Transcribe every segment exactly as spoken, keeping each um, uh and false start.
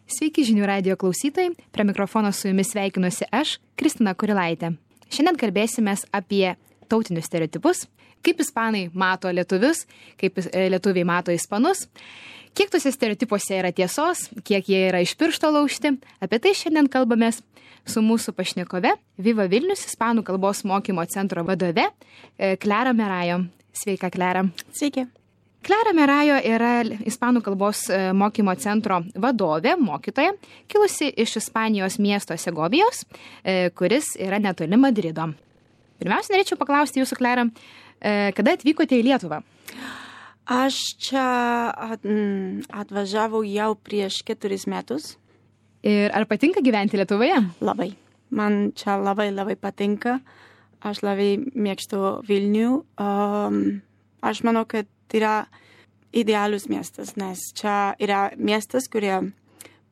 Sveiki žinių radijo klausytojai, prie mikrofono su jumis sveikinuosi aš, Kristina Kurilaitė. Šiandien kalbėsimės apie tautinius stereotipus, kaip ispanai mato lietuvius, kaip lietuviai mato ispanus, kiek tuose stereotipuose yra tiesos, kiek jie yra iš piršto laužti. Apie tai šiandien kalbamės su mūsų pašnekove, Viva Vilnius ispanų kalbos mokymo centro vadove, Klara Merajo. Sveika, Klara. Sveiki. Klara Merajo yra ispanų kalbos mokymo centro vadovė, mokytoja, kilusi iš Ispanijos miesto Segovijos, kuris yra netoli Madrido. Pirmiausia, norėčiau paklausti jūsų, Klara, kada atvykote į Lietuvą? Aš čia atvažiavau jau prieš keturis metus. Ir ar patinka gyventi Lietuvoje? Labai. Man čia labai, labai patinka. Aš labai mėgstu Vilnių. Um, aš manau, kad tai yra idealus miestas, nes čia yra miestas, kurie,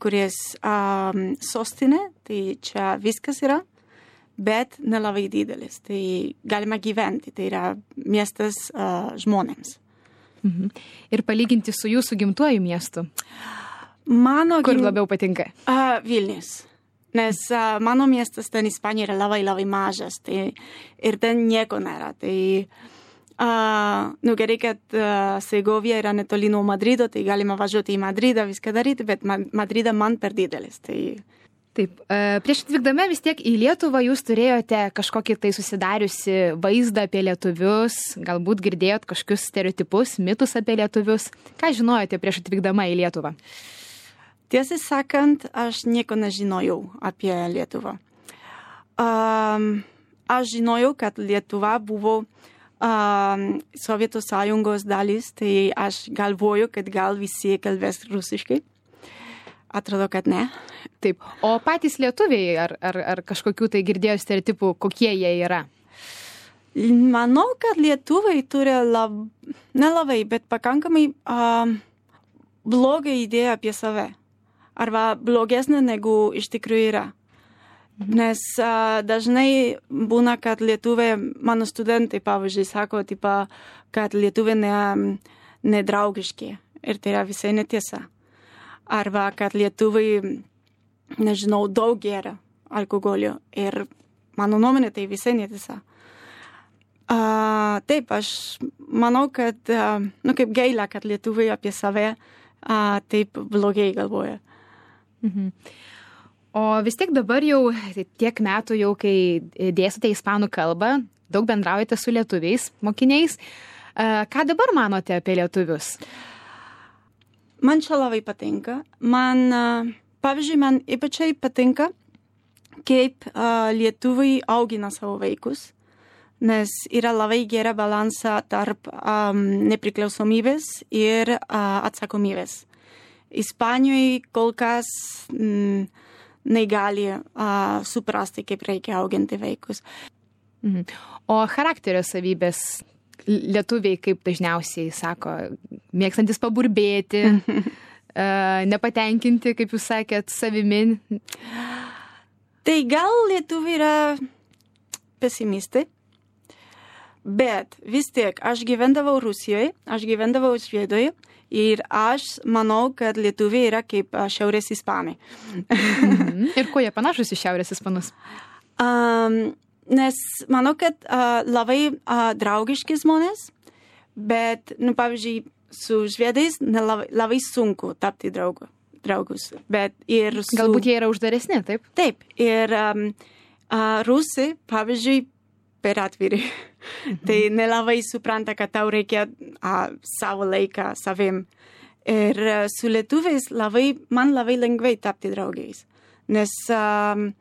kuris um, sostinė, tai čia viskas yra, bet nelabai didelis. Tai galima gyventi, tai yra miestas uh, žmonėms. Mhm. Ir palyginti su jūsų gimtuoju miestu? Mano Kur gim... labiau patinka? Uh, Vilnius. Nes uh, mano miestas ten Ispanijoje yra labai, labai mažas, tai ir ten nieko nėra. Tai uh, nu, gerai, kad uh, Segovija yra netoli nuo Madrido, tai galima važiuoti į Madridą, viską daryti, bet ma- Madridą man per didelis. Tai... Taip, prieš atvykdami vis tiek į Lietuvą jūs turėjote kažkokį tai susidariusi vaizdą apie lietuvius, galbūt girdėjot kažkokius stereotipus, mitus apie lietuvius. Ką žinojote prieš atvykdama į Lietuvą? Tiesą sakant, aš nieko nežinojau apie Lietuvą. Um, aš žinojau, kad Lietuva buvo um, Sovietų sąjungos dalis, tai aš galvoju, kad gal visi kalbės rusiškai. Atrodo, kad ne. Taip. O patys lietuviai, ar, ar, ar kažkokių tai girdėjo stereotipų, kokie jie yra? Manau, kad lietuviai turi lab... nelabai, bet pakankamai um, blogą idėją apie save. Arba blogesnė negu iš tikrųjų yra. Nes uh, dažnai būna, kad lietuviai, mano studentai, pavyzdžiui, sako, tipa, kad lietuviai ne, nedraugiški. Ir tai yra visai netiesa. Arba kad lietuviai, nežinau, daug geria alkoholio. Ir mano nuomonė tai visai netiesa. Uh, taip, aš manau, kad, uh, nu kaip gaila, kad lietuviai apie save uh, taip blogai galvoja. Mhm. O vis tiek dabar jau tiek metų jau, kai dėstote ispanų kalbą, daug bendraujate su lietuviais, mokiniais. Uh, ką dabar manote apie lietuvius? Man čia labai patinka. Man, uh, pavyzdžiui, man ypačiai patinka, kaip uh, lietuviai augina savo vaikus, nes yra labai gera balansa tarp um, nepriklausomybės ir uh, atsakomybės. Ispanijoje kol kas mm, negali uh, suprasti, kaip reikia auginti vaikus. Mhm. O charakterio savybės lietuviai, kaip dažniausiai sako, mėgstantis paburbėti, uh, nepatenkinti, kaip jūs sakėt, savimi. Tai gal lietuviai yra pesimistai, bet vis tiek aš gyvendavau Rusijoje, aš gyvendavau Švedijoje ir aš manau, kad lietuviai yra kaip šiaurės ispanai. Mhm. Ir kuo jie panašus į šiaurės ispanus? Um, Nes manau, kad uh, labai uh, draugiški žmonės, bet, nu, pavyzdžiui, su švedais labai, labai sunku tapti draugu, draugus. Bet ir su... Galbūt jie yra uždaresni, taip? Taip. Ir um, uh, rusai, pavyzdžiui, per atviri. Mhm. Tai nelabai supranta, kad tau reikia uh, savo laiką savim. Ir uh, su lietuviais labai, man labai lengvai tapti draugais. Nes... Um,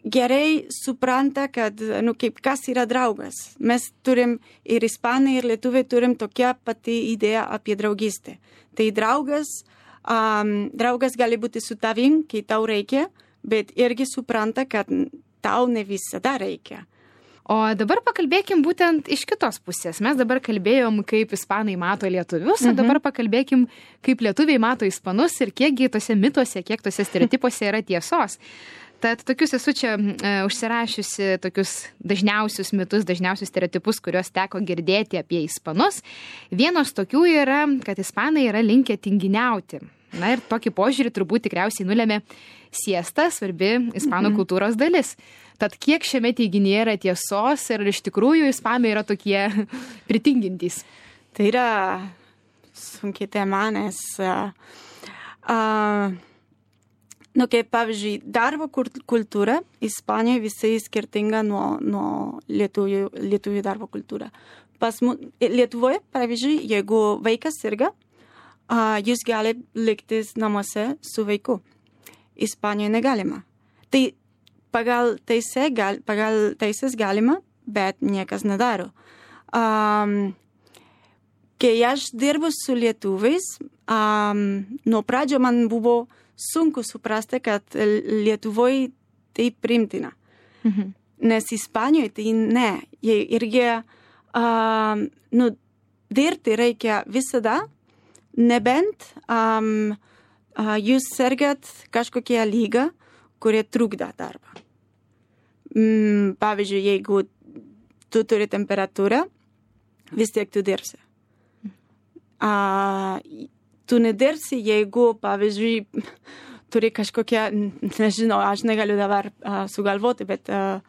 gerai supranta, kad, nu, kaip kas yra draugas. Mes turim ir ispanai, ir lietuviai turim tokią patį idėją apie draugystę. Tai draugas, um, draugas gali būti su tavim, kai tau reikia, bet irgi supranta, kad tau ne visada reikia. O dabar pakalbėkim būtent iš kitos pusės. Mes dabar kalbėjom, kaip ispanai mato lietuvius, mhm. o dabar pakalbėkim, kaip lietuviai mato ispanus ir kiekgi tose mituose, kiek tose stereotipuose yra tiesos. Tad tokius esu čia e, užsirašiusi tokius dažniausius mitus, dažniausius stereotipus, kuriuos teko girdėti apie ispanus. Vienas tokių yra, kad ispanai yra linkę tinginiauti. Na ir tokį požiūrį turbūt tikriausiai nulėmė siesta, svarbi ispanų Mhm. kultūros dalis. Tad kiek šiame teiginyje yra tiesos ir iš tikrųjų ispanai yra tokie pritingintys? Tai yra sunki tema, nes uh, uh, nu, kaip pavyzdžiui, darbo kultūra Ispanijoje visai skirtinga nuo, nuo lietuvių, lietuvių darbo kultūra. Pas mu, Lietuvoje, pavyzdžiui, jeigu vaikas sirga, uh, jūs gali likti namuose su vaiku. Ispanijoje negalima. Tai pagal, teisė, gal, pagal teisės galima, bet niekas nedaro. Um, kai aš dirbu su lietuviais, um, nuo pradžio man buvo sunku suprasti, kad Lietuvoje tai primtina. Mhm. Nes Ispanijoje tai ne. Jie irgi, um, nu, dirbti reikia visada, nebent um, uh, jūs sergat kažkokią lygą, kurie trukda darbą. Mm, pavyzdžiui, jeigu tu turi temperatūrą, vis tiek tu dirbsi. Uh, tu nedirbsi, jeigu, pavyzdžiui, turi kažkokią, nežinau, aš negaliu dabar uh, sugalvoti, bet uh,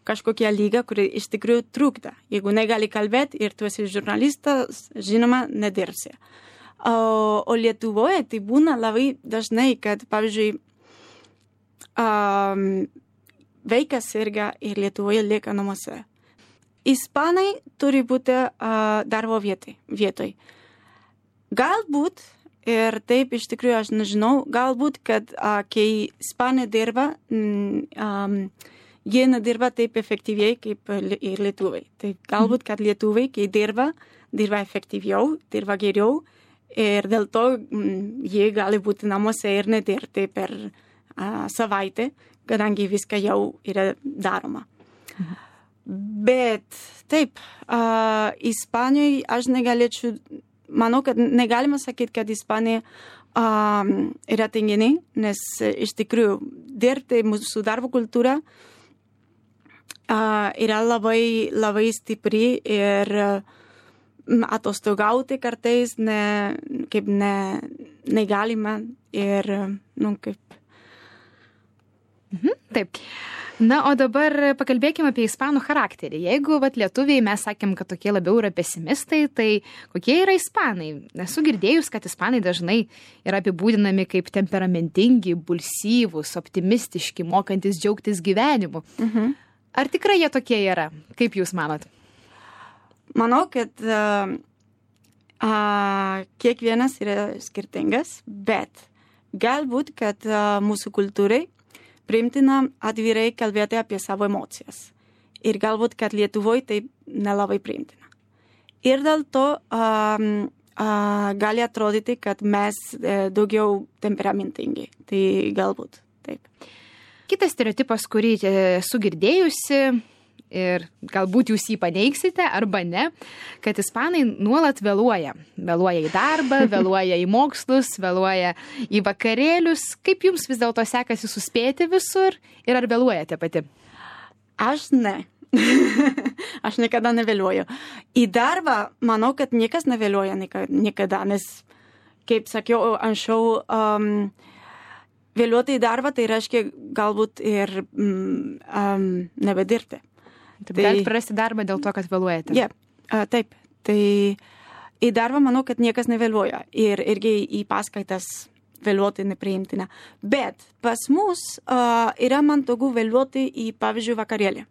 kažkokią lygą, kuri iš tikrųjų trukda. Jeigu negali kalbėti ir tu esi žurnalistas, žinoma, nedirbsi. O, o Lietuvoje tai būna labai dažnai, kad, pavyzdžiui, um, vaikas sirga ir Lietuvoje lieka namuose. Ispanai turi būti uh, darbo vietai, vietoj. Galbūt, ir taip iš tikrųjų aš nežinau, galbūt, kad uh, kai Ispanai dirba, mm, um, jie nedirba taip efektyviai kaip ir lietuviai. Tai galbūt, kad lietuviai, kai dirba, dirba efektyviau, dirba geriau ir dėl to mm, jie gali būti namuose ir nedirbti per uh, savaitę, kadangi viską jau yra daroma. Mhm. Bet taip, uh, Ispanijoje aš negalėčiau, manau, kad negalima sakyti, kad Ispanija um, yra tinginiai, nes iš tikrųjų dirbti mūsų darbo kultūra uh, yra labai, labai stipri ir uh, atostogauti kartais ne, kaip ne, negalima ir, nu, kaip. Mhm, taip. Na, o dabar pakalbėkime apie ispanų charakterį. Jeigu vat, lietuviai mes sakėm, kad tokie labiau yra pesimistai, tai kokie yra ispanai? Esu girdėjus, kad ispanai dažnai yra apibūdinami kaip temperamentingi, impulsyvūs, optimistiški, mokantis džiaugtis gyvenimu. Mhm. Ar tikrai jie tokie yra? Kaip jūs manot? Manau, kad uh, uh, kiekvienas yra skirtingas, bet galbūt, kad uh, mūsų kultūrai priimtina atvirai kalbėti apie savo emocijas. Ir galbūt, kad Lietuvoje tai nelabai priimtina. Ir dėl to um, uh, gali atrodyti, kad mes uh, daugiau temperamentingi. Tai galbūt taip. Kitas stereotipas, kurį esu girdėjusi, ir galbūt jūs jį paneigsite arba ne, kad ispanai nuolat vėluoja. Vėluoja į darbą, vėluoja į mokslus, vėluoja į vakarėlius. Kaip jums vis dėlto sekasi suspėti visur ir ar vėluojate pati? Aš ne. Aš niekada nevėluoju. Į darbą manau, kad niekas nevėluoja niekada, nes, kaip sakiau anksčiau, um, vėluoti į darbą tai reiškia galbūt ir um, um, nebedirbti. Taip, tai galite prarasti darbą dėl to, kad vėluojate. Yeah, uh, taip. Tai į darbą manau, kad niekas nevėluoja. Ir irgi į paskaitas vėluoti nepriimtina. Bet pas mus uh, yra man togu vėluoti į, pavyzdžiui, vakarėlį.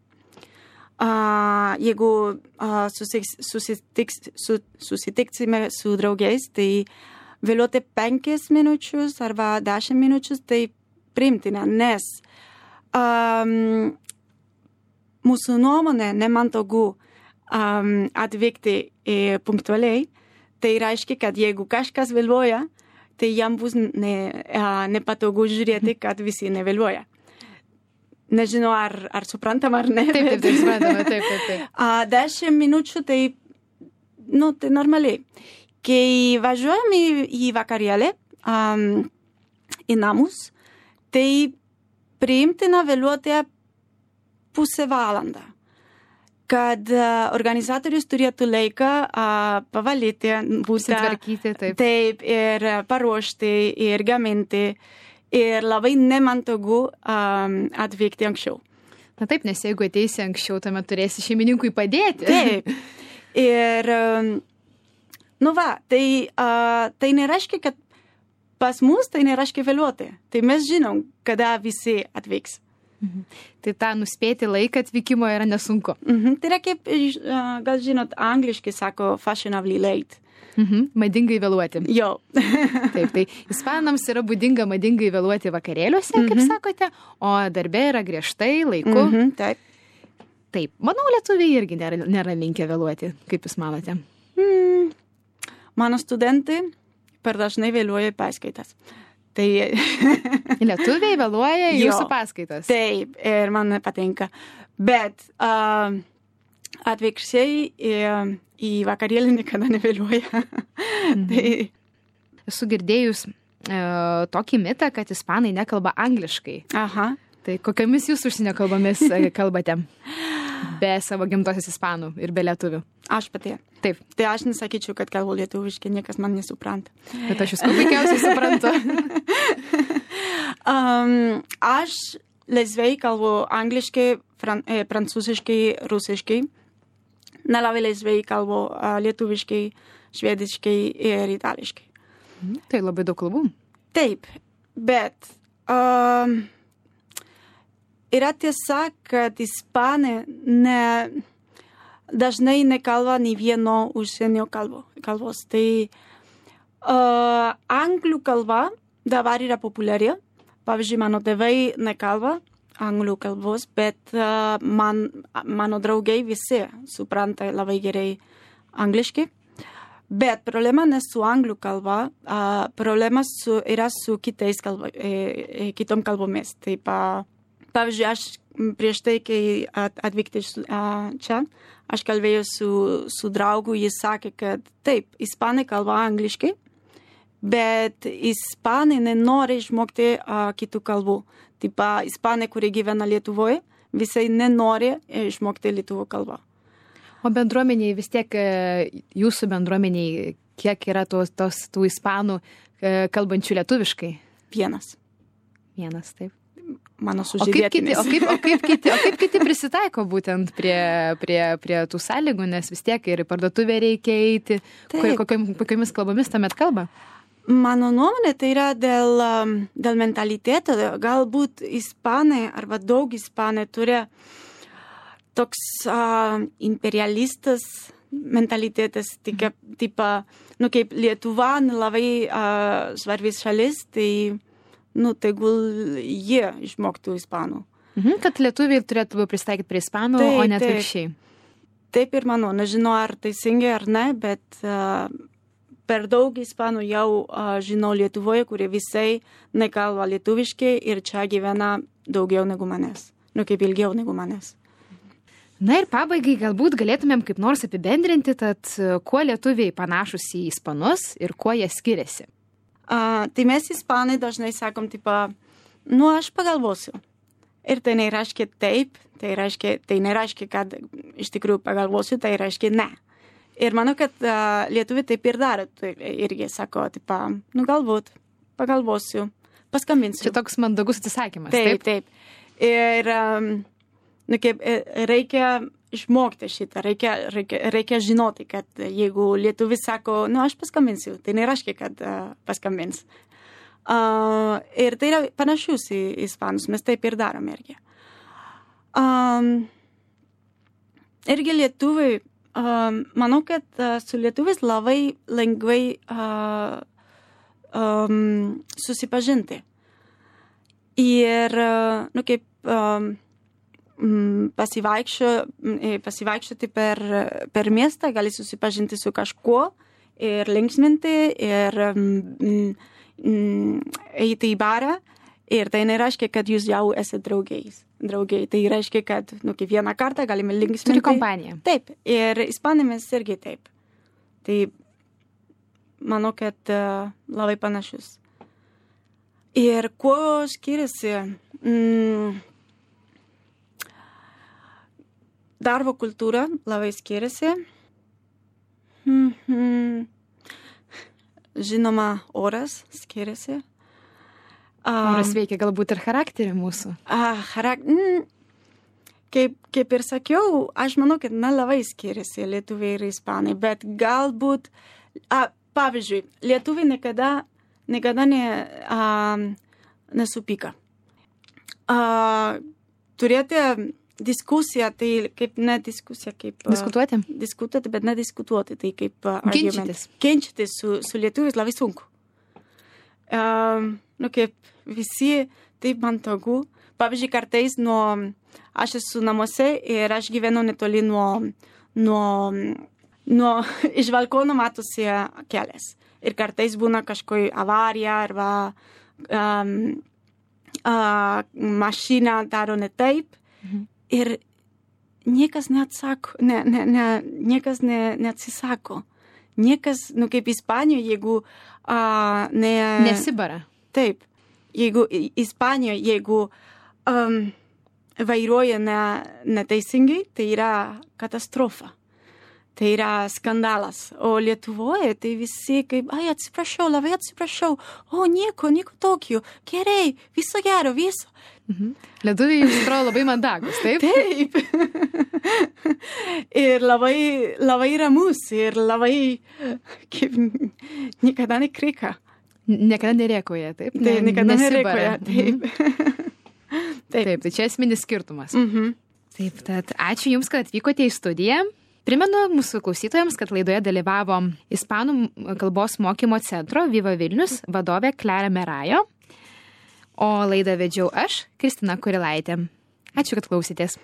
Uh, jeigu uh, susitiks, susitiks, su, susitiksime su draugais, tai vėluoti penkias minučius arba dešimt minučius, tai priimtina, nes um, mūsų nuomonė nemantogu um, atvykti e, punktualiai, tai reiškia, kad jeigu kažkas vėluoja, tai jam bus ne, uh, nepatogu žiūrėti, kad visi nevėluoja. Nežinau, ar, ar suprantam ar ne. Taip, taip, taip, suprantama, taip, taip, taip. Uh, dešimt minučių, tai, nu, tai normaliai. Kai važiuojam į, į vakarėlį, um, į namus, tai priimtina vėluoti pusę valandą. kad organizatorius turėtų laiką uh, pavalyti būtą. Sutvarkyti, taip. Taip, ir paruošti, ir gaminti. Ir labai nemantogu um, atvykti anksčiau. Na taip, nes jeigu ateisi anksčiau, tuomet turėsi šeimininkui padėti. Taip. Ir, um, nu va, tai, uh, tai nereiškia, kad pas mus tai nereiškia vėluoti. Tai mes žinom, kada visi atvyks. Mhm. Tai tą nuspėti laiką atvykimo yra nesunku. Mhm. Tai yra kaip, uh, gal žinot, angliškai sako fashionably late. Mhm. Madingai vėluoti. Jo. Taip, tai ispanams yra būdinga madingai vėluoti vakarėliuose, kaip Mhm. sakote, o darbe yra griežtai laiku. Mhm. Taip. Taip, manau, lietuviai irgi nėra, nėra linkę vėluoti, kaip jūs manote. Mm. Mano studentai per dažnai vėluoja į paskaitas. Tai Lietuviai vėluoja į Jo. jūsų paskaitas. taip, ir man nepatinka. Bet uh, atvirkščiai į, į vakarėlį niekada nevėluoja. Mhm. Tai, Esu girdėjus e, tokį mitą, kad ispanai nekalba angliškai. aha. Tai kokiamis jūs užsienio kalbomis e, kalbate? Be savo gimtosios ispanų ir be lietuvių. Aš pati. Taip, Tai aš nesakyčiau, kad kalbu lietuviškai, niekas man nesupranta. bet aš jūs kuo puikiausiai suprantu. Um, aš laisvai kalbu angliškai, fran, e, prancūziškai, rusiškai. Nelabai laisvai kalbu uh, lietuviškai, švediškai ir itališkai. Mhm. Tai labai daug kalbų. Taip, bet um, yra tiesa, kad ispanai ne, dažnai nekalba nei vieno užsienio kalbo, kalbos. Tai uh, anglų kalba dabar yra populiari. Pavyzdžiui, mano tėvai nekalba anglų kalbos, bet uh, man, mano draugai visi supranta labai gerai angliškai. Bet problema ne su anglų kalba, uh, problema su, yra su kitais kalba, e, e, kitom kalbomis. Taip, uh, pavyzdžiui, aš prieš tai, kai at, atvykti uh, čia, aš kalbėjau su, su draugu, jis sakė, kad taip, ispanai kalba angliškai, bet ispanai nenori išmokti uh, kitų kalbų. Taip, uh, ispanai, kurie gyvena Lietuvoje, visai nenori išmokti lietuvų kalbą. O bendruomeniai vis tiek, e, jūsų bendruomeniai, kiek yra tos, tos tų ispanų e, kalbančių lietuviškai? Vienas. Vienas, taip. Mano O kaip, kiti, sužydėtinis. o, kaip, o, kaip kiti, o kaip kiti prisitaiko būtent prie, prie, prie tų sąlygų, nes vis tiek ir į parduotuvę reikia eiti, Taip. kokiam- kokiomis kalbomis tuomet kalba? Mano nuomonė tai yra dėl, um, dėl mentaliteto. Galbūt ispanai arba daug ispanai turi toks uh, imperialistas mentalitetas, tik, taip, nu, kaip Lietuva labai uh, svarbis šalis, tai, nu, tegul jie išmoktų ispanų. Mhm, kad lietuviai turėtų pristaikyti prie ispanų, Taip, o ne taip. atvirkščiai. Taip ir manau, nežinau ar teisingai ar ne, bet uh, per daug ispanų jau uh, žinau Lietuvoje, kurie visai nekalba lietuviškai ir čia gyvena daugiau negu manęs, nu kaip ilgiau negu manęs. Na ir pabaigai galbūt galėtumėm kaip nors apibendrinti, tad e, kuo lietuviai panašus į ispanus ir kuo jie skiriasi. Uh, tai mes ispanai dažnai sakom, tipo, nu aš pagalvosiu. Ir tai nereiškia taip, tai, reiškia, tai nereiškia, kad iš tikrųjų pagalvosiu, tai reiškia ne. Ir manau, kad uh, lietuviai taip ir daro, tai irgi sako, tipo, nu galbūt, pagalvosiu, paskambinsiu. Čia toks mandagus atsisakymas. Taip, taip. Ir um, nu, kaip, reikia išmokti šitą, reikia, reikia, reikia žinoti, kad jeigu lietuvis sako, nu aš paskambinsiu, tai nereiškia, kad uh, paskambins. Uh, ir tai yra panašus į ispanus, mes taip ir darom irgi. Um, irgi lietuviai, um, manau, kad uh, su lietuvis labai lengvai uh, um, susipažinti. Ir, uh, nu, kaip um, pasivaikščio, pasivaikščioti per, per miestą, gali susipažinti su kažkuo ir linksminti ir mm, mm, eiti į barą. Ir tai nereiškia, kad jūs jau esate draugais. Draugai. Tai reiškia, kad nu, kiekvieną kartą galime linksminti. Turi kompaniją. Taip. Ir ispanėmis irgi taip. Tai manau, kad uh, labai panašus. Ir kuo skiriasi? Mm, darbo kultūra labai skiriasi. Mhm. Žinoma, oras skiriasi. Oras veikia galbūt ir charakterį mūsų. Ah, charak... mm, kaip, kaip ir sakiau, aš manau, kad na, labai skiriasi lietuviai ir ispanai, bet galbūt, a, pavyzdžiui, lietuviai niekada, niekada ne, a, nesupyka. A, turėti diskusiją, tai kaip ne diskusija, kaip... Diskutuoti? A, diskutuoti, bet ne diskutuoti, tai kaip a, Ginčytis. Ginčytis su, su lietuviais labai sunku. A, nu, kaip visi taip mantogu. Pavyzdžiui, kartais nuo, aš esu namuose ir aš gyvenu netoli nuo, nuo, nuo iš balkono matosi kelias. Ir kartais būna kažkokia avarija arba um, uh, mašina daro ne taip. Mhm. Ir niekas neatsako, ne, ne, ne, niekas ne, neatsisako. Niekas, nu kaip Ispanijoje, jeigu uh, ne... Nesibara. Taip. Jeigu Ispanijoje, jeigu um, vairuoja ne, neteisingai, tai yra katastrofa. Tai yra skandalas. O Lietuvoje tai visi kaip, ai, atsiprašau, labai atsiprašau. O, nieko, nieko tokio. Gerai, viso gero, viso. Mhm. Lietuviai jums atrodo labai mandagus, taip? Taip. Ir labai, labai ramus, ir labai, kaip, niekada nekrika. Niekada nerėkoja, taip? Taip, niekada nerėkoja, taip. Mhm. Taip. Taip, tai čia esminis skirtumas. Mhm. Taip, tad ačiū Jums, kad atvykote į studiją. Primenu mūsų klausytojams, kad laidoje dalyvavo Ispanų kalbos mokymo centro Viva Vilnius vadovė Klara Merajo, o laidą vedžiau aš, Kristina Kurilaitė. Ačiū, kad klausėtės.